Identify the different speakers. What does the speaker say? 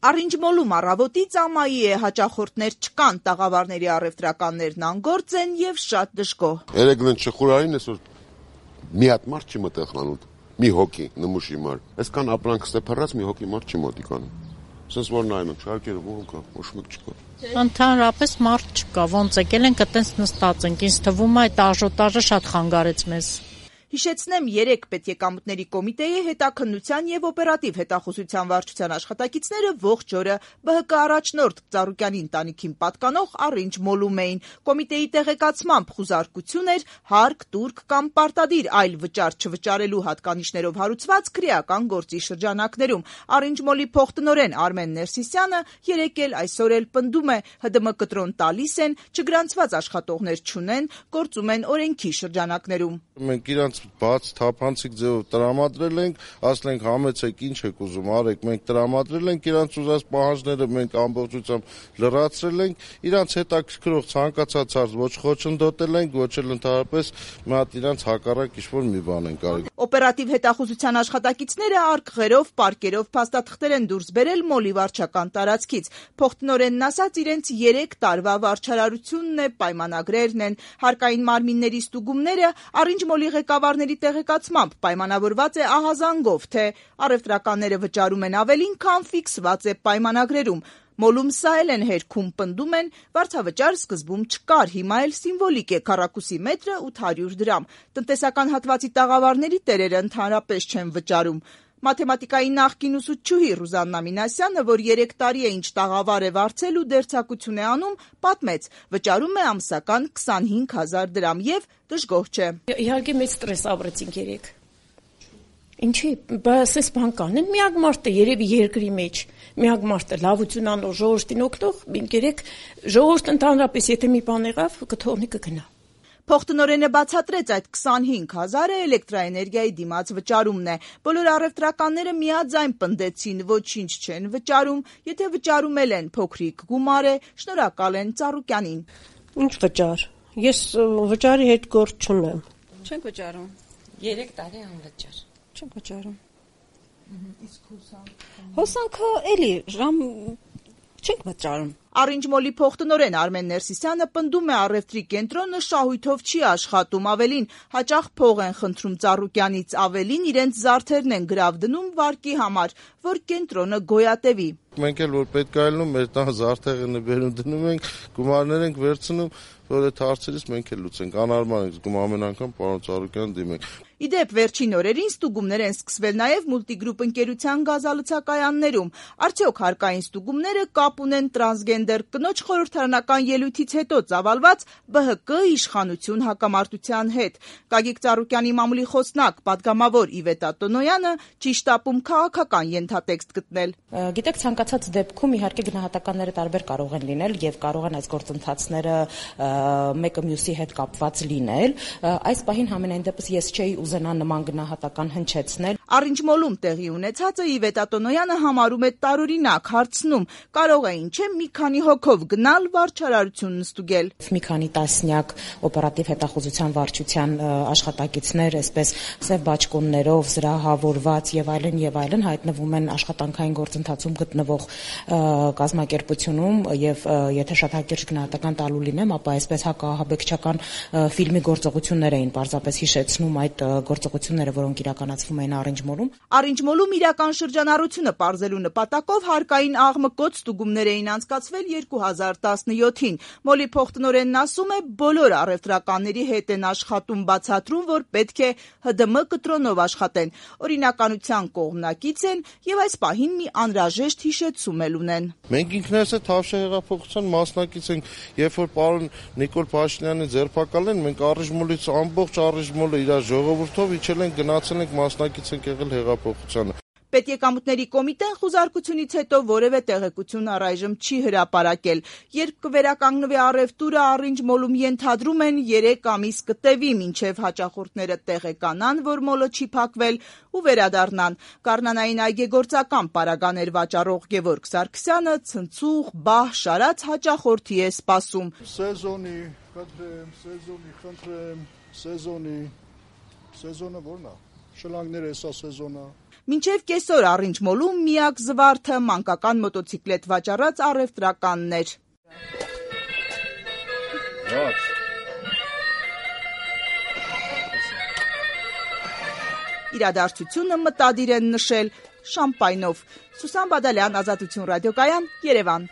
Speaker 1: Առինջմոլում առավոտից ամայի է, հաճախորդներ չկան, տաղավարների առևտրականներն անգործ են եւ շատ դժգոհ։
Speaker 2: Երեգլեն չխուրային այսօր մի հատ մարդ չի մտել խանութ, մի հոգի նմուշի մար։ Այսքան ապրանք ստեփռած մի հոգի մարդ չի մոտիկանում։ Սենց որ նայում ենք, շարքերը ո՞ր կա, ոչ մեկ չկա։
Speaker 3: Ընդհանրապես մարդ չկա, ոնց եկել ենք, այտենց նստած ենք, ինձ թվում է այդ աժոտաժը շատ խանգարեց մեզ։
Speaker 1: Հիշեցնեմ, 3 պետեկամուտների կոմիտեի հետաքննության եւ օպերատիվ հետախուզության վարչության աշխատակիցները ողջ օրը ԲՀԿ առաջնորդ Ծառուկյանի ընտանիքին պատկանող Առինջմոլում էին։ Կոմիտեի տեղեկացմամբ խուզարկություն էր հարկ, տուրք կամ պարտադիր այլ վճար չվճարելու հատկանիշներով հարուցված քրեական գործի շրջանակներում։ Առինջմոլի փոխտնօրեն Արմեն Ներսիսյանը երեկ էլ այսօր էլ պնդում է, ՀԴՄ կտրոն տալիս են, չգրանցված աշխատողներ չունեն, գործում են օրենքի շրջանակներում։
Speaker 4: Մենք իրանց բաց թափանցիկ ձևով տրամադրել ենք, ասել ենք համեցեք, ինչ եք ուզում արեք, մենք տրամադրել ենք իրանց ուզած պահանջները, մենք ամբողջությամբ լրացրել ենք, իրանց հետաքրքրող ցանկացած հարց ոչ խոչընդոտել ենք, ոչ էլ ընդհանրապես մի հատ իրանց հակառակ ինչ-որ մի բան ենք արել։
Speaker 1: Օպերատիվ հետախուզության աշխատակիցները արկղերով, պարկերով փաստաթղթեր են դուրս բերել Մոլի վարչական տարածքից։ Փոխտնօրենն ասաց, իրենց 3 տարվա վարչարարությունն է, պայմանագրերն են, հարկային մարմինների ստուգումները Առինջմոլի ղեկավարների տեղեկացմամբ պայմանավորված է ահազանգով, թե առևտրականները վճարում են ավելին, քան ֆիքսված է պայմանագրերում։ Մոլում սա էլ են հերքում, պնդում են, վարձավճար սկզբում չկար, հիմա էլ սիմվոլիկ է, քառակուսի մետրը 800 դրամ։ Տնտեսական հատվածի տաղավարների տերերը ընդհանրապես չեն վճարում։ Մաթեմատիկայի նախկին ուսուցչուհի Ռուզաննա Մինասյանը, որ 3 տարի է ինչ տաղավար է վարձել ու դերձակություն է անում, պատմեց, վճարում է ամսական 25,000 դրամ եւ դժգոհ չէ։
Speaker 5: Իհարկե մեծ ստրես ապրեցինք երեք։ Ինչի, բասես բան կանեն, միակ մարդը երևի երկրի մեջ, միակ մարդը լավություն անող ժողովրդին օգնող, երեք ժողովուրդը ընդհանրապես եթե մի բան եղավ, կթողնի կգնա։
Speaker 1: Փոխտնօրենը բացատրեց, այդ 25,000-ը էլեկտրաէներգիայի դիմաց վճարումն է։ Բոլոր առևտրականները միաձայն պնդեցին, ոչինչ չեն վճարում, եթե վճարում էլ են, փոքրիկ գումար է, շնորհակալ են Ծառուկյանին։
Speaker 6: Ինչ վճար։ Ես վճարի հետ գործ չունեմ։
Speaker 7: Չենք վճարում։ 3 տարի անվճար։
Speaker 6: Չենք վճարում։
Speaker 1: Իսկ
Speaker 6: հոսանքը էլի ժամ չենք վճարում։
Speaker 1: Առինջմոլի փոխտնօրեն Արմեն Ներսիսյանը պնդում է, առևտրի կենտրոնը շահույթով չի աշխատում, ավելին հաճախ փող են խնդրում Ծառուկյանից, ավելին իրենց զարդերն են գրավ դնում վարկի համար, որ կենտրոնը գոյատևի։
Speaker 4: Մենք էլ որ պետք է ելնում, մեր տան զարդեղը բերում դնում ենք, գումարներ ենք վերցնում, որ այդ հարցերից մենք էլ լուծենք, անարման ենք զգում ամեն անգամ պարոն Ծառուկյան դիմենք։
Speaker 1: Իդեպ վերջին օրերին ստուգումներ են սկսվել նաև մուլտիգրուպ ընկերության գազալցակայաններում։ Արդյոք հարկային ստուգումները կապ ունեն տրանսգենդեր կնոջ խորհրդարանական ելույթից հետո ծավալված ԲՀԿ իշխանություն հակամարտության հետ։ Գագիկ Ծառուկյանի մամուլի խոսնակ, պատգամավոր Իվետ Ատոնոյանը ճիշտ ապում քաղաքական ենթատեքստ գտնել։
Speaker 5: Գիտեք, ցանկացած դեպքում իհարկե գնահատականները տարբեր կարող են լինել եւ կարող են այս գործընթացները մեկը մյուսի հետ կապված լինել։ Այս պահին համենայն դեպս ես չէի ուզենա նման գնահատական հնչեցնել։
Speaker 1: Առինջմոլում տեղի ունեցածը Իվետ Ատոնոյանը համարում է տարօրինակ, հարցնում, կարող է ինչ-է մի քանի հոգով գնալ վարչարարությունն ստուգել։
Speaker 5: Մի քանի տասնյակ օպերատիվ հետախուզության վարչության աշխատակիցներ, այսպես սև բաճկոններով զրահավորված եւ այլն հայտնվում են աշխատանքային գործընթացում գտնվող կազմակերպությունում եւ եթե շատ հակիրճ գնահատական տալու լինեմ, ապա այսպես հակահաբեկչական ֆիլմի գործողություններ էին պարզապես հիշեցնում այդ գործողությունները, որոնք իրականացվում էին Առինջմոլում։
Speaker 1: Առինջմոլում իրական շրջանառությունը պարզելու նպատակով հարկային աղմկոտ ստուգումներ էին անցկացվել 2017-ին։ Մոլի փոխտնօրենն ասում է, բոլոր առևտրականների հետ են աշխատում, բացատրում, որ պետք է ՀԴՄ կտրոնով աշխատեն, օրինականության կողմնակից են եւ այս պահին մի անհրաժեշտ հիշեցում էլ ունեն։
Speaker 4: Մենք ինքներս էլ Թավշյա հեղափոխության մասնակից ենք, երբ որ պարոն Նիկոլ Փաշինյանի ձերբակալեն, մենք Առինջմոլից ամբողջ Առինջմոլը իր ժողովրդով իջել ենք, գնացել ենք, մասնակից ենք եղել հեղափոխությանը։
Speaker 1: Պետեկամուտների կոմիտեն խուզարկությունից հետո որևէ տեղեկություն առայժմ չի հրապարակել։ Երբ կվերականգնվի առևտուրը, Առինջմոլում ենթադրում են 3 ամիս կտևի, մինչև հաճախորդները տեղեկանան, որ մոլը չի փակվել ու վերադառնան։ Գառնանային այգեգործական պարագաներ վաճառող Գևորգ Սարգսյանը ցնցուղ, բահ շարած հաճախորդի է սպասում։
Speaker 8: Սեզոնի, խնդրեմ, սեզոնը ո՞րն է։ Շլանգները հեսա սեզոնը։
Speaker 1: Մինչև կեսօր Առինջմոլում միակ զվարթը մանկական մոտոցիկլետ վաճառած առևտրականն էր։ Իրադարձությունը մտադիր են նշել շամպայնով։ Սուսան Բադալյան, Ազատություն ռադիոկայան, Երևան։